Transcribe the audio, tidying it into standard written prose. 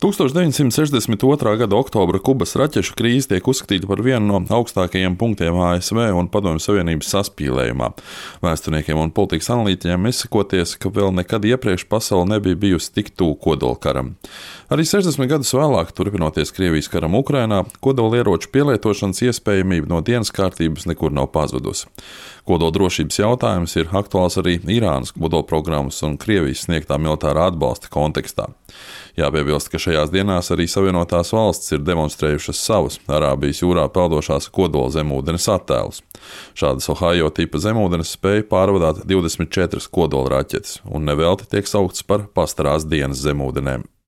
1962. gada oktobra Kubas raķešu krīze tiek uzskatīta par vienu no augstākajiem punktiem ASV un Padomju Savienības saspīlējumā. Vēsturniekiem un politikas analītiķiem izsakoties, ka vēl nekad iepriekš pasaule nebija bijusi tik tuvu kodolkaram. Arī 60 gadus vēlāk, turpinoties Krievijas karam Ukrainā, kodolieroču pielietošanas iespējamība no dienas kārtības nekur nav pazudusi. Kodoldrošības jautājums ir aktuāls arī Irānas kodolprogrammas un Krievijas sniegtā militārā atbalsta kontekstā. Jāpiebilst, ka šajās dienās arī Savienotās valstis ir demonstrējušas savus Arābijas jūrā peldošās kodola zemūdenes attēlus. Šādas Ohio tipa zemūdenes spēja pārvadāt 24 kodola raķetes, un nevelti tiek sauktas par pastarās dienas zemūdenēm.